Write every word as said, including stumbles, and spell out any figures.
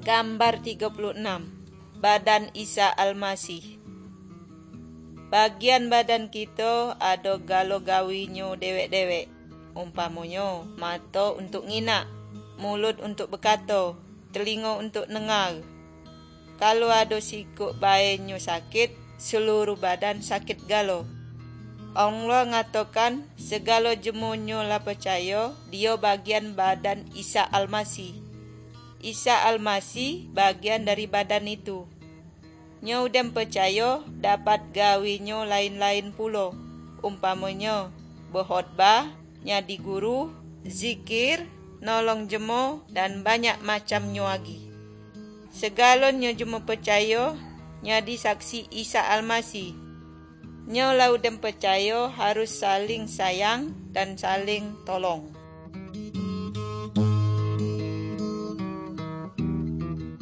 Gambar tigo puluah anam. Badan Isa Almasih. Bagian badan kito ado galo gawinyo dewek-dewek. Umpamonyo, mato untuak nginak, muluik untuak bakato, talingo untuak nanga. Kalau ado sikuk baenyo sakik, saluruh badan sakik galo. Allah ngatokan, sagalo jemonyo lah pacayo, diyo bagian badan Isa Almasih. Isa Almasih bagian dari badan itu. Nyo udah pacayo, dapat gawinyo lain-lain pulo, umpamonyo, bakhotbah, nyadi guru, zikir, nolong jemo, dan banyak macamnyo agi. Sagalonyo jemo pacayo, nyadi saksi Isa Almasih. Nyo lah udah pacayo harus saling sayang dan saling tolong.